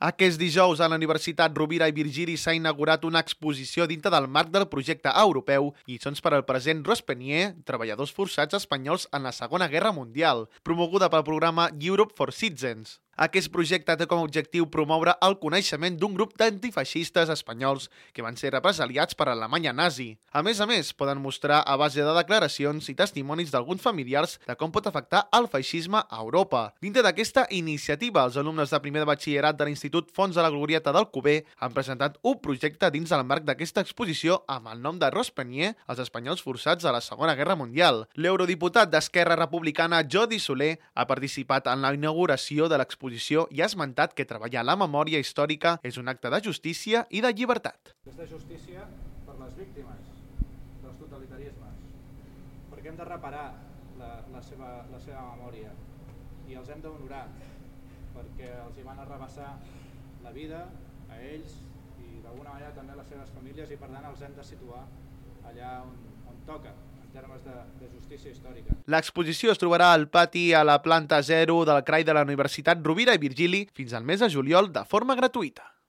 Aquest dijous a la Universitat Rovira i Virgili s'ha inaugurat una exposició dintre del marc del projecte europeu Lliçons per al present Rospenier, treballadors forçats espanyols en la Segona Guerra Mundial, promoguda pel programa Europe for Citizens. Aquest projecte té com a objectiu promoure el coneixement d'un grup d'antifeixistes espanyols que van ser represaliats per l'Alemanya nazi. A més, poden mostrar a base de declaracions i testimonis d'alguns familiars de com pot afectar el feixisme a Europa. Dintre d'aquesta iniciativa, els alumnes de primer de batxillerat de l'Institut Fons de la Glorieta d'Alcover han presentat un projecte dins del marc d'aquesta exposició amb el nom de Rospenier, els espanyols forçats a la Segona Guerra Mundial. L'eurodiputat d'Esquerra Republicana Jordi Soler ha participat en la inauguració de l'exposició i ha esmentat que treballar la memòria històrica és un acte de justícia i de llibertat. És de justícia per les víctimes dels totalitarismes, perquè hem de reparar la seva memòria i els hem d'honorar, perquè els hi van arrabassar la vida a ells i d'alguna manera també a les seves famílies, i per tant els hem de situar allà on toca, en termes de justícia històrica. L'exposició es trobarà al pati a la planta 0 del CRAI de la Universitat Rovira i Virgili fins al mes de juliol de forma gratuïta.